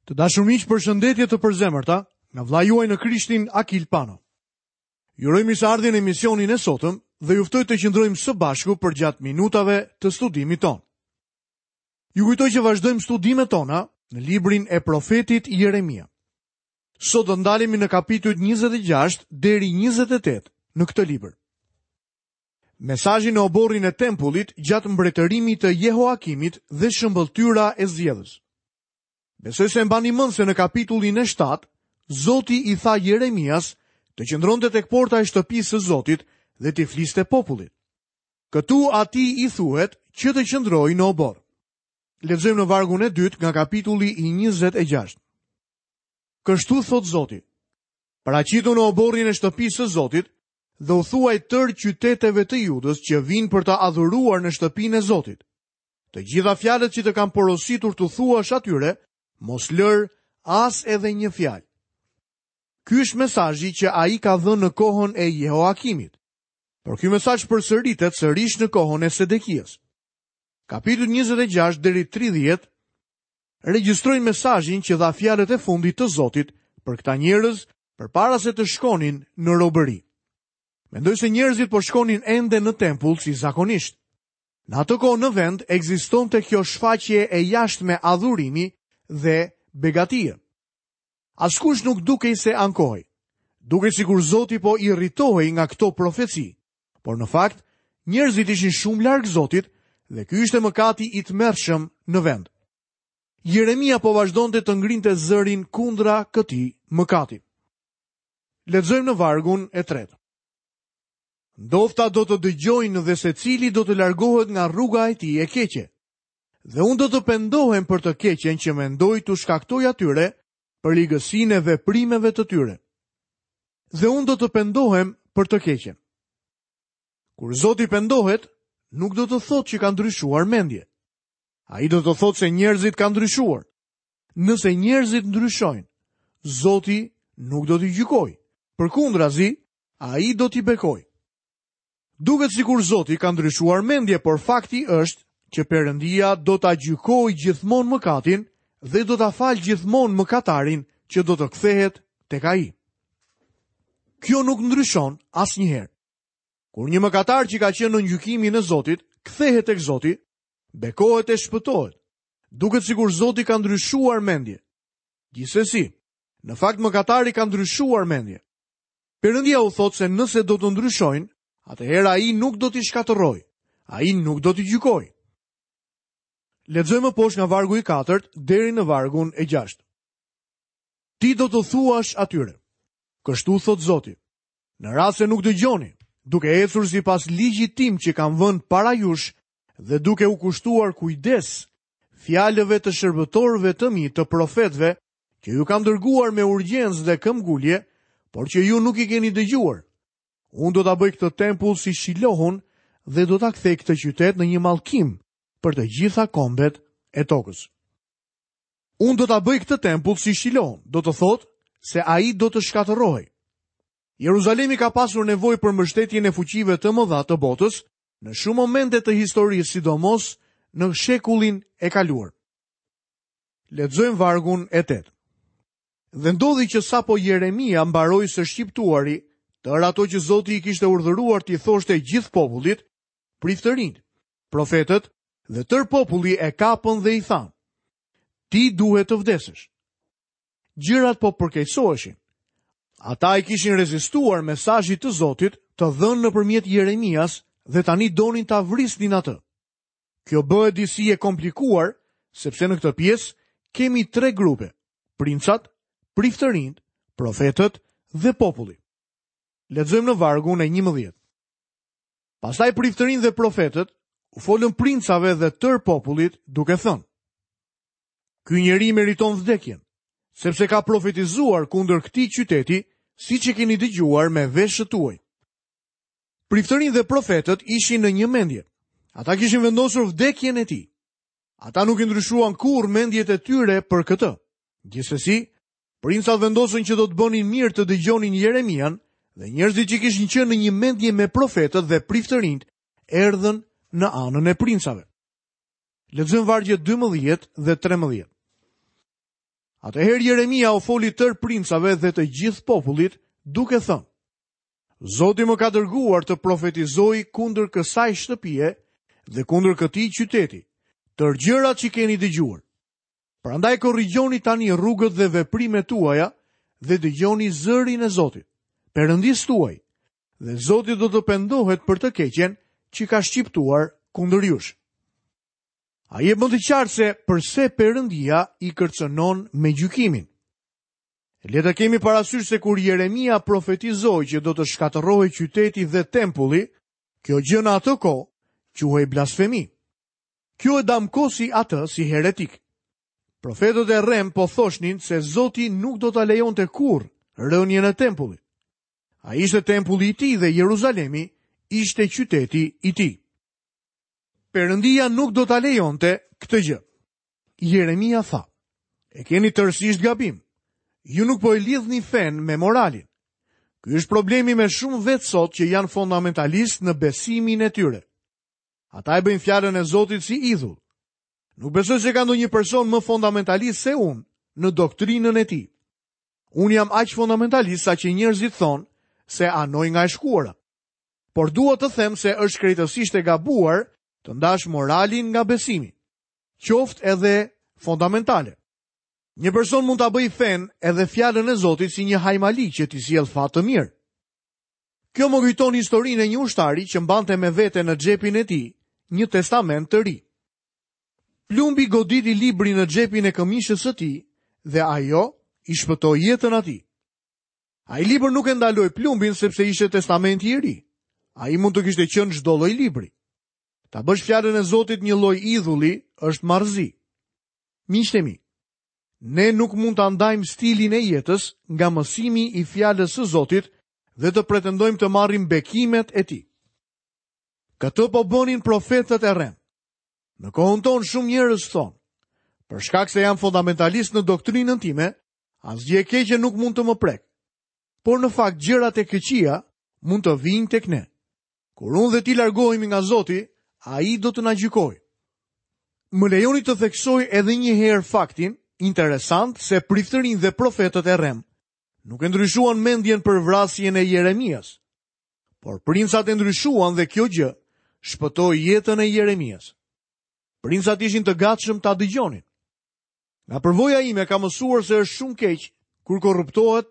Të dashur miq, përshëndetje të përzemërta nga vëllai juaj në Krishtin Akil Pano. Ju uroj mirëseardhjen në emisionin e sotëm dhe ju ftoj të qëndrojmë së bashku përgjatë minutave të studimit tonë. Ju kujtoj që vazhdojmë studimet tona në librin e profetit Jeremia. Sot do ndalemi në kapitujt 26 deri 28 në këtë libër. Mesazhi në oborrin e tempullit gjatë mbretërimit të Jehoakimit dhe shëmbëlltyra e zgjedhës. Besoj se e mbani mend se në kapitullin e 7, Zoti i tha Jeremias të qëndronte tek porta e shtëpisë së Zotit dhe t'i fliste popullit. Këtu atij i thuhet që të qëndrojë në oborr. Lexojmë në vargun e dytë nga kapitulli i 26. Kështu thotë Zoti: Paraqitu në oborrin e shtëpisë së Zotit dhe u thuaj tërë qyteteve të Judës që vijnë për të adhuruar në shtëpinë e Zotit. Të gjitha fjalët që të kam porositur t'u thuash atyre, mos lër as edhe një fjalë. Ky është mesazhi që ai ka dhënë në kohën e Jehoakimit. Por ky mesazh përsëritet sërish në kohën e Sedekias. Kapitujt 26 deri 30 regjistrojnë mesazhin që dha fjalët e fundit të Zotit për këta njerëz përpara se të shkonin në robëri. Mendoj se njerëzit po shkonin ende në tempull si zakonisht. Në atë kohë në vend ekzistonte kjo shfaqje e jashtme adhurimi dhe begatie. Askush nuk dukej se ankohej. Dukej sikur Zoti po irritohej nga këto profeci, por në fakt njerëzit ishin shumë larg Zotit dhe ky ishte mëkati i tmerrshëm në vend. Jeremia po vazhdonte të ngrinte zërin kundra këtij mëkati. Lexojmë në vargun e tretë. Ndofta do të dëgjojnë dhe secili do të largohet nga rruga e tij e keqe. Dhe unë do të pendohem për të keqen që mendoj t'u shkaktoj atyre për ligësinë e veprimeve të tyre. Dhe unë do të pendohem për të keqen. Kur Zoti pendohet, nuk do të thotë që ka ndryshuar mendje. Ai do të thotë se njerëzit kanë ndryshuar. Nëse njerëzit ndryshojnë, Zoti nuk do t'i gjykojë. Përkundrazi, ai do t'i bekojë. Duket sikur Zoti ka ndryshuar mendje, por fakti është që Perëndia do ta gjykojë gjithmonë mëkatin dhe do ta falë gjithmonë mëkatarin që do të kthehet tek ai. Kjo nuk ndryshon asnjëherë. Kur një mëkatar që ka qenë nën gjykimin e Zotit, kthehet tek Zoti, bekohet e shpëtohet. Duket sikur Zoti ka ndryshuar mendje. Gjithsesi, në fakt mëkatari ka ndryshuar mendje. Perëndia u thotë se nëse do të ndryshojnë, atëherë ai nuk do t'i shkatërrojë, ai nuk do t'i gjykojë. Lexojmë më poshtë nga vargu i katërt deri në vargun e gjashtë. Ti do t'u thuash atyre. Kështu thotë Zoti. Në rast se nuk dëgjoni, duke ecur sipas ligjit tim që kam vënë para jush dhe duke u kushtuar kujdes fjalëve të shërbëtorëve të mi të profetëve që ju kam dërguar me urgjencë dhe këmbgulje, por që ju nuk i keni dëgjuar. Unë do ta bëj këtë tempull si Shilohun dhe do ta kthej këtë qytet në një mallkim për të gjitha kombet e tokës. Unë do ta bëj këtë tempull si Shilohun, do të thotë se ai do të shkatërrohej. Jeruzalemi ka pasur nevojë për mbështetjen e fuqive të mëdha të botës në shumë momente të historisë, sidomos në shekullin e kaluar. Lexojmë vargun e 8. Dhe ndodhi që sapo Jeremia mbaroi së shqiptuari tërë ato që Zoti i kishte urdhëruar t'i thoshte gjithë popullit, priftërinjtë, profetët dhe tërë populli e kapën dhe i thanë: Ti duhet të vdesësh. Gjërat po përkeqësoheshin. Ata i kishin rezistuar mesazhit të Zotit të dhënë nëpërmjet Jeremias dhe tani donin ta vrisnin atë. Kjo bëhet disi e komplikuar, sepse në këtë pjesë kemi tre grupe, princat, priftërinjtë, profetët dhe populli. Lexojmë në vargun e 11. Pastaj priftërinjtë dhe profetët u folën princave dhe tërë popullit duke thënë: Ky njeri meriton vdekjen, sepse ka profetizuar kundër këtij qyteti, siç e keni dëgjuar me veshët tuaj. Priftërinjtë dhe profetët ishin në një mendje. Ata kishin vendosur vdekjen e tij. Ata nuk i ndryshuan kurrë mendjet e tyre për këtë. Gjithsesi, princat vendosën që do të bënin mirë të dëgjonin Jeremian dhe njerëzit që kishin qenë në një mendje me profetët dhe priftërinjtë erdhën në anën e princave. Lexojmë vargjet 12 dhe 13. Atëherë Jeremia u foli tërë princave dhe të gjithë popullit, duke thënë: Zoti më ka dërguar të profetizoj kundër kësaj shtëpie dhe kundër këtij qyteti, tërë gjërat që keni dëgjuar. Prandaj korrigjoni tani rrugët dhe veprimet tuaja dhe dëgjoni zërin e Zotit, Perëndisë tuaj, dhe Zoti do të pendohet për të keqen që ka shqiptuar kundër jush. Ai e bën të qartë se përse Perëndia i kërcënon me gjykimin. Le të kemi parasysh se kur Jeremia profetizoi që do të shkatërrohej qyteti dhe tempulli, kjo gjë në atë kohë quhej blasfemi. Kjo e damkosi atë si heretik. Profetët e rremë po thoshnin se Zoti nuk do ta lejonte kurrë rënien e tempullit. Ai ishte tempulli i tij dhe Jeruzalemi ishte qyteti i tij. Perëndia nuk do ta lejonte këtë gjë. Jeremia tha, e keni tërësisht gabim. Ju nuk po e lidhni fenë me moralin. Ky është problemi me shumë vetë sot që janë fundamentalistë në besimin e tyre. Ata e bëjnë fjalën e Zotit si idhull. Nuk besoj se ka ndonjë person më fundamentalist se unë në doktrinën e tij. Unë jam aq fundamentalist sa që njerëzit thonë se anoj nga e shkuara. Por dua të them se është krejtësisht e gabuar të ndash moralin nga besimi, qoftë edhe fundamentale. Një person mund ta bëjë fenë edhe fjalën e Zotit si një hajmali që t'i sjellë fat të mirë. Kjo më kujton historinë e një ushtari që mbante me vete në xhepin e tij një testament të ri. Plumbi goditi librin në xhepin e këmishës së tij dhe ajo i shpëtoi jetën atij. Ai libër nuk e ndaloi plumbin sepse ishte testamenti i ri. Ai mund të kishte qenë çdo lloj libri. Ta bësh fjalën e Zotit një lloj idhulli është marrëzi. Miqtë e mi, Ne nuk mund ta ndajmë stilin e jetës nga mësimi i fjalës së Zotit dhe të pretendojmë të marrim bekimet e tij. Këtë po bënin profetët e rremë. Në kohën tonë shumë njerëz thonë, për shkak se jam fundamentalist në doktrinën time, asgjë e keqe nuk mund të më prekë. Por në fakt gjërat e këqija mund të vijnë tek ne. Kur unë dhe ti largohemi nga Zoti, ai do të na gjykojë. Më lejoni të theksoj edhe një herë faktin interesant se priftërinjtë dhe profetët e rremë nuk e ndryshuan mendjen për vrasjen e Jeremias. Por princat e ndryshuan dhe kjo gjë shpëtoi jetën e Jeremias. Princat ishin të gatshëm ta dëgjonin. Nga përvoja ime kam mësuar se është shumë keq kur korruptohet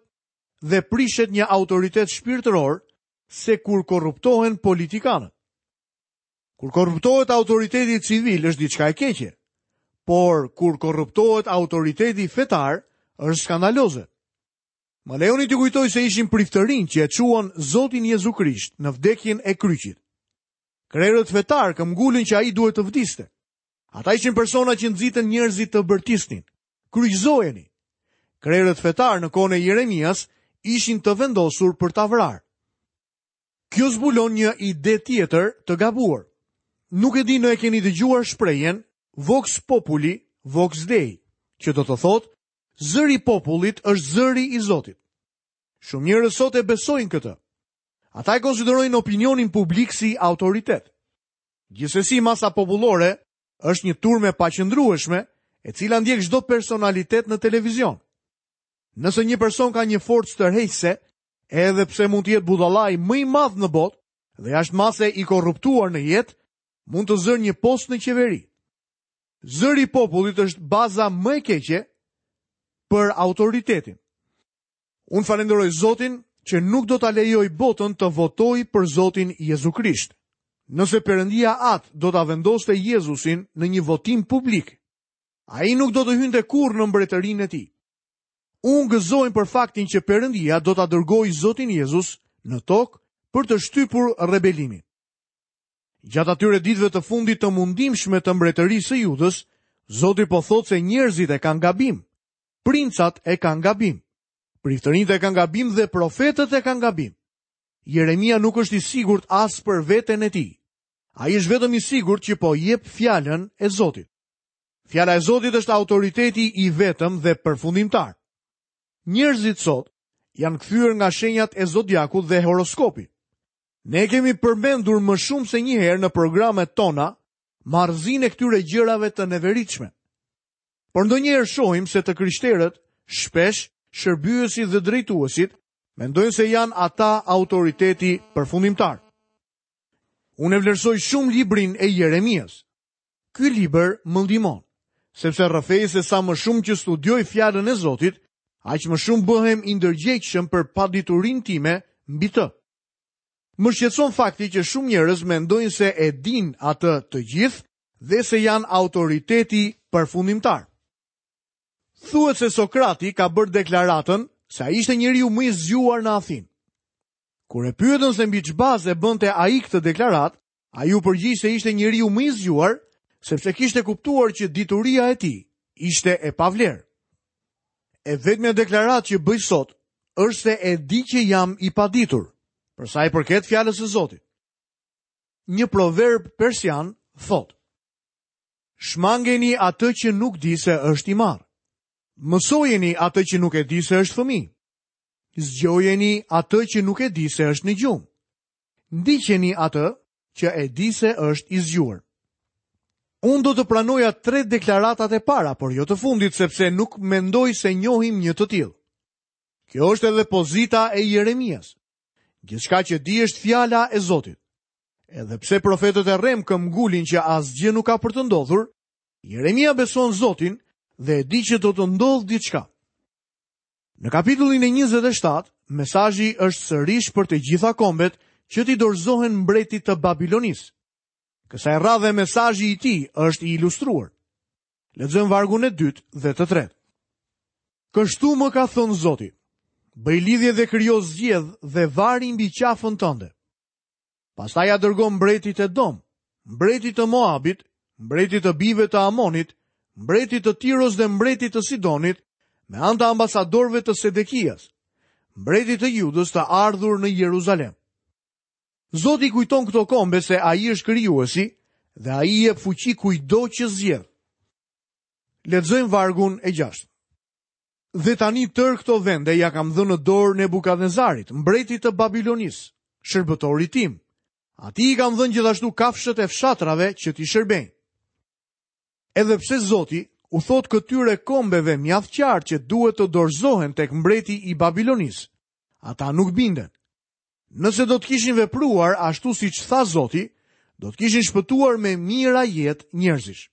dhe prishet një autoritet shpirtëror se kur korruptohen politikanët. Kur korruptohet autoriteti civil është diçka e keqe, por kur korruptohet autoriteti fetar është skandaloze. Më lejoni t'ju kujtoj se ishin priftërinjtë që e çuan Zotin Jezu Krisht në vdekjen e kryqit. Krerët fetarë këmbëngulën që ai duhet të vdiste. Ata ishin persona që nxitën njerëzit të bërtisnin. Kryqëzojeni! Krerët fetarë në kohën e Jeremias ishin të vendosur për ta vrarë. Kjo zbulon një ide tjetër të gabuar. Nuk e di në e keni dëgjuar shprehjen Vox Populi, Vox Dei, që do të thotë zëri i popullit është zëri i Zotit. Shumë njerëz sot e besojnë këtë. Ata e konsiderojnë opinionin publik si autoritet. Gjithsesi masa popullore është një turmë e paqëndrueshme, e cila ndjek çdo personalitet në televizion. Nëse një person ka një forcë tërheqëse, edhe pse mund të jetë budallai më i madh në botë dhe jashtë mase i korruptuar në jetë, mund të zërë një post në qeveri. Zëri i popullit është baza më e keqe për autoritetin. Unë falënderoj Zotin që nuk do ta lejoj botën të votojë për Zotin Jezu Krisht. Nëse Perëndia Atë do ta vendoste Jezusin në një votim publik, ai nuk do të hynte kurrë në mbretërinë e tij. Unë gëzohem për faktin që Perëndia do ta dërgojë Zotin Jezus në tokë për të shtypur rebelimin. Gjatë atyre ditëve të fundit të mundimshme të mbretërisë së Judës, Zoti po thotë se njerëzit e kanë gabim, princat e kanë gabim, priftërinjtë e kanë gabim dhe profetët e kanë gabim. Jeremia nuk është i sigurt as për veten e tij. Ai është vetëm i sigurt që po jep fjalën e Zotit. Fjala e Zotit është autoriteti i vetëm dhe përfundimtar. Njerëzit sot janë kthyer nga shenjat e zodiakut dhe horoskopi. Ne kemi përmendur më shumë se një herë në programet tona marrëzinë e këtyre gjërave të neveritshme. Por ndonjëherë shohim se të krishterët, shpesh shërbyesit dhe drejtuesit, mendojnë se janë ata autoriteti përfundimtar. Unë e vlerësoj shumë librin e Jeremias. Ky libër më ndihmon, sepse rrëfej se sa më shumë që studioj fjalën e Zotit, aq më shumë bëhem i ndërgjegjshëm për paditurinë time mbi të. Më shqetëson fakti që shumë njerëz mendojnë se e dinë atë të gjithë dhe se janë autoriteti përfundimtar. Thuhet se Sokrati ka bërë deklaratën se ai ishte njeriu më i zgjuar në Athinë. Kur e pyetën se mbi ç'bazë e bënte ai këtë deklaratë, ai u përgjigj se ishte njeriu më i zgjuar, sepse kishte kuptuar që dituria e tij ishte e pavlerë. E vetmja deklaratë që bëj sot është se e di që jam i paditur, për sa i përket fjalës së Zotit. Një proverb persian thotë: Shmangeni atë që nuk di se është i marrë. Mësojeni atë që nuk e di se është fëmijë. Zgjojeni atë që nuk e di se është në gjumë. Ndiqeni atë që e di se është i zgjuar. Unë do të pranoja tre deklaratat e para, por jo të fundit, sepse nuk mendoj se njohim një të tillë. Kjo është edhe pozita e Jeremias. Gjithçka që di është fjala e Zotit. Edhe pse profetët e rremë këmbëngulin që asgjë nuk ka për të ndodhur, Jeremia beson Zotin dhe e di që do të ndodhë diçka. Në kapitullin e 27, mesazhi është sërish për të gjitha kombet që t'i dorëzohen mbretit të Babilonisë. Kësaj radhe mesazhi i tij është i ilustruar. Lexojmë vargun e dytë dhe të tretë. Kështu më ka thënë Zoti, bëj lidhje dhe krijo zgjedhë dhe vari mbi qafën tënde. Pastaj ia dërgo mbretit Edom, mbretit të Moabit, mbretit të bijve të Amonit, mbretit të Tiros dhe mbretit të Sidonit, me anë të ambasadorëve të Sedekias, mbretit të Judës të ardhur në Jeruzalem. Zoti i kujton këto kombe se ai është krijuesi dhe ai i jep fuqi kujtdo që zgjedh. Lexojmë vargun e 6. Dhe tani tërë këto vende ia kam dhënë në dorë Nebukadnezarit, mbretit të Babilonisë, shërbëtorit tim. Atij i kam dhënë gjithashtu kafshët e fshatrave që t'i shërbejnë. Edhe pse Zoti u thotë këtyre kombeve mjaft qartë që duhet të dorëzohen tek mbreti i Babilonisë, ata nuk binden. Nëse do të kishin vepruar ashtu siç tha Zoti, do të kishin shpëtuar me mijëra jetë njerëzish.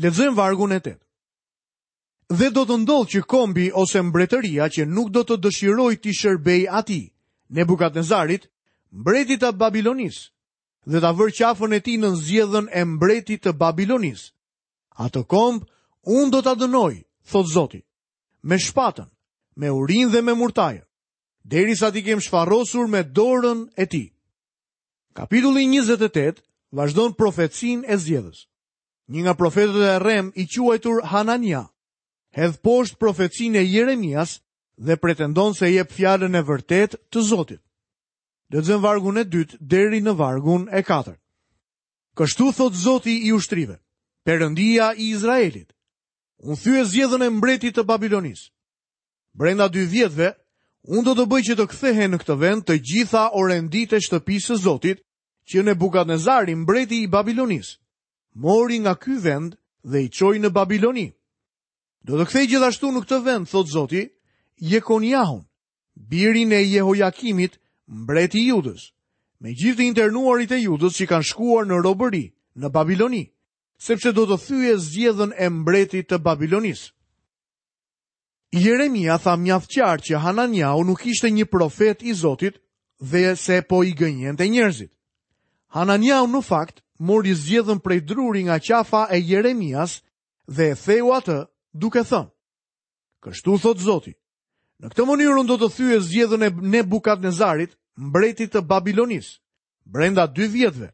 Lexojmë vargun e 8. Dhe do të ndodhë që kombi ose mbretëria që nuk do të dëshirojë t'i shërbejë atij, Nebukadnezarit, mbretit të Babilonisë, dhe ta vërë qafën e tij nën zgjedhën e mbretit të Babilonisë. Atë komb unë do ta dënoj, thotë Zoti, me shpatën, me urinë dhe me murtajën, derisa t'i kem shfarosur me dorën e tij. Kapitulli 28 vazhdon profecinë e zgjedhës. Një nga profetët e rremë i quajtur Hanania, hedh poshtë profecinë e Jeremias dhe pretendon se jep fjalën e vërtetë të Zotit. Lexojmë vargun e dytë deri në vargun e katërt. Kështu thotë Zoti i ushtrive, Perëndia i Izraelit. Unë thyej zgjedhën e mbretit të Babilonisë. Brenda dy vjetëve, unë do të bëj që të kthehen në këtë vend të gjitha orenditë e shtëpisë së Zotit, që Nebukadnezari, mbreti i Babilonisë, mori nga ky vend dhe i çoi në Babiloni. Do të kthej gjithashtu në këtë vend, thotë Zoti, Jekoniahun, birin e Jehojakimit, mbret i Judës, me gjithë të internuarit e Judës që kanë shkuar në robëri, në Babiloni, sepse do të thyej zgjedhën e mbretit të Babilonisë. Jeremia tha mjaft qartë që Hananiahu nuk ishte një profet i Zotit dhe se po i gënjente njerëzit. Hananiahu në fakt mori zgjedhën prej druri nga qafa e Jeremias dhe e theu atë duke thënë: Kështu thotë Zoti, në këtë mënyrë unë do të thyej zgjedhën e Nebukadnezarit, mbretit të Babilonisë, brenda dy vjetëve,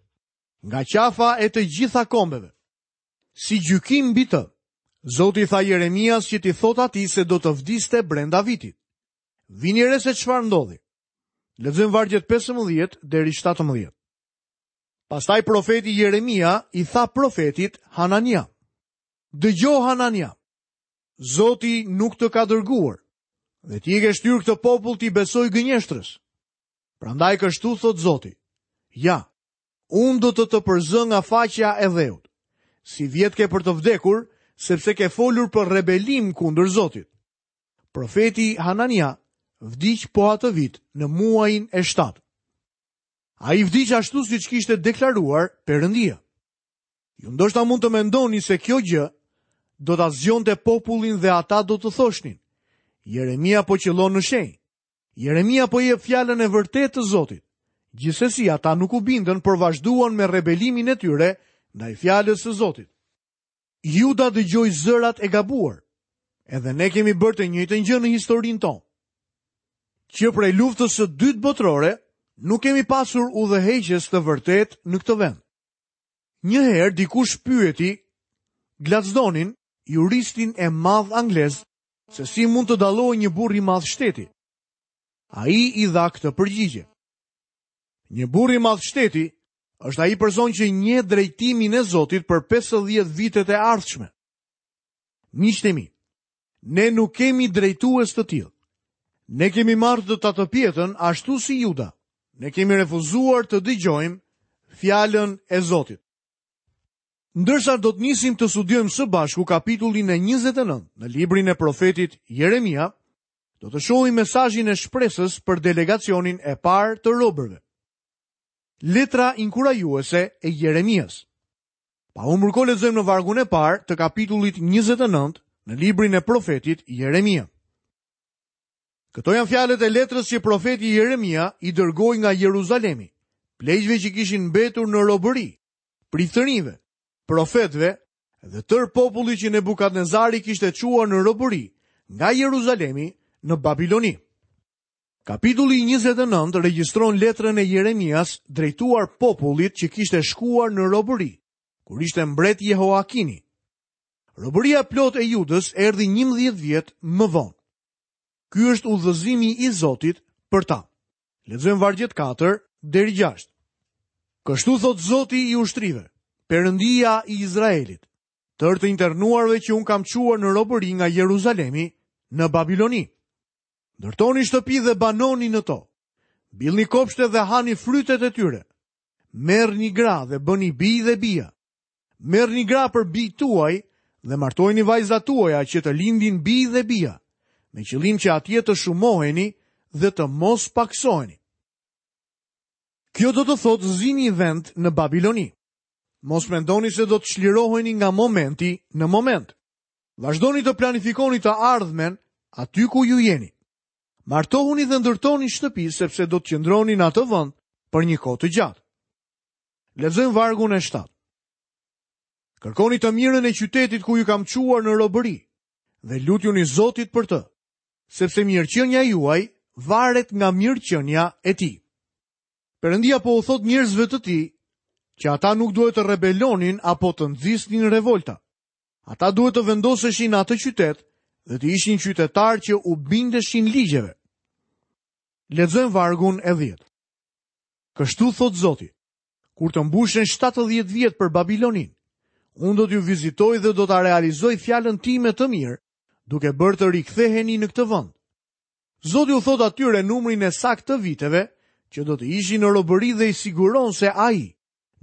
nga qafa e të gjitha kombeve. Si gjykim mbi të, Zoti i tha Jeremias që t'i thotë atij se do të vdiste brenda vitit. Vini re se çfarë ndodhi. Lexojmë vargjet 15 deri 17. Pastaj profeti Jeremia i tha profetit Hanania: Dëgjo Hanania, Zoti nuk të ka dërguar dhe ti e ke shtyrë këtë popull t'i besojë gënjeshtrës. Prandaj kështu thotë Zoti: Ja, Unë do të të përzë nga faqja e dheut. Sivjet ke për të vdekur sepse ke folur për rebelim kundër Zotit. Profeti Hanania vdiq po atë vit në muajin e 7. Ai vdiq ashtu siç kishte deklaruar Perëndia. Ju ndoshta mund të mendoni se kjo gjë do ta zgjonte popullin dhe ata do të thoshnin: Jeremia po qëllon në shenjë. Jeremia po jep fjalën e vërtetë të Zotit. Gjithsesi ata nuk u bindën, por vazhduan me rebelimin e tyre ndaj fjalës së Zotit. Juda dëgjoi zërat e gabuar. Edhe ne kemi bërë të njëjtën gjë në historinë tonë. Që prej luftës së dytë botërore, nuk kemi pasur udhëheqës të vërtetë në këtë vend. Një herë dikush pyeti Gladsdonin, juristin e madh anglez, se si mund të dallohej një burrë i madh shteti. Ai i dha këtë përgjigje. Një burrë i madh shteti është ai person që njeh drejtimin e Zotit për 50 vitet e ardhshme. Miqtë e mi, ne nuk kemi drejtues të tillë. Ne kemi marrë të tatëpjetën ashtu si Juda. Ne kemi refuzuar të dëgjojmë fjalën e Zotit. Ndërsa do të nisim të studiojmë së bashku kapitullin e 29 në librin e profetit Jeremia, do të shohim mesazhin e shpresës për delegacionin e parë të robërve. Letra inkurajuese e Jeremias. Pa humbur kohë lexojmë në vargun e parë të kapitullit 29 në librin e profetit Jeremia. Këto janë fjalët e letrës që profeti Jeremia i dërgoi nga Jeruzalemi, pleqve që kishin mbetur në robëri, priftërinjve, profetëve dhe tërë popullit që Nebukadnezari kishte çuar në robëri nga Jeruzalemi në Babiloni. Kapitulli 29 regjistron letrën e Jeremias drejtuar popullit që kishte shkuar në robëri, kur ishte mbret Jehoakini. Robëria e plotë e Judës erdhi 11 vjet më vonë. Ky është udhëzimi i Zotit për ta. Lexojmë vargjet 4 deri 6. Kështu thotë Zoti i ushtrive, Perëndia i Izraelit, tërë të internuarve që unë kam çuar në robëri nga Jeruzalemi në Babiloni. Ndërtoni shtëpi dhe banoni në to. Mbillni kopshte dhe hani frytet e tyre. Merrni gra dhe bëni bij dhe bija. Merrni gra për bijtë tuaj dhe martojini vajzat tuaja që të lindin bij dhe bija, me qëllim që atje të shumoheni dhe të mos pakësoheni. Kjo do të thotë zini vend në Babiloni. Mos mendoni se do të çliroheni nga momenti në moment. Vazhdoni të planifikoni të ardhmen aty ku ju jeni. Martohuni dhe ndërtoni shtëpi sepse do të qëndroni në atë vend për një kohë të gjatë. Lexojmë vargun e 7. Kërkoni të mirën e qytetit ku ju kam çuar në robëri dhe lutjuni Zotit për të, sepse mirëqenia juaj varet nga mirëqenia e tij. Perëndia po u thotë njerëzve të tij që ata nuk duhet të rebelonin apo të nxisnin revolta. Ata duhet të vendoseshin në atë qytet dhe të ishin qytetarë që u bindeshin ligjeve. Lexojmë vargun e 10. Kështu thotë Zoti, kur të mbushen 70 vjet për Babiloninë, unë do t'ju vizitoj dhe do ta realizoj fjalën time të mirë, duke bërë të riktheheni në këtë vend. Zoti u thotë atyre numrin e saktë të viteve që do të ishin në robëri dhe i siguron se ai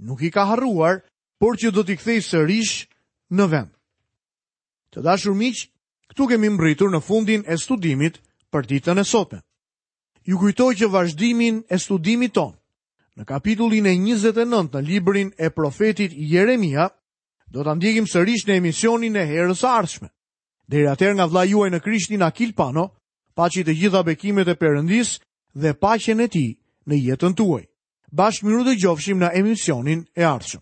nuk i ka harruar por që do t'i kthejë sërish në vend. Të dashur miq, këtu kemi mbërritur në fundin e studimit për ditën e sotme. Ju kujtoj që vazhdimin e studimit tonë në kapitullin e 29 në librin e profetit Jeremia do ta ndjekim sërish në emisionin e herës së ardhshme. Deri atëherë nga vëllai juaj në Krishtin Akil Pano, paçi të gjitha bekimet e Perëndisë dhe paqen e tij në jetën tuaj. Bashkë mirudëgjofshim në emisionin e ardhshëm.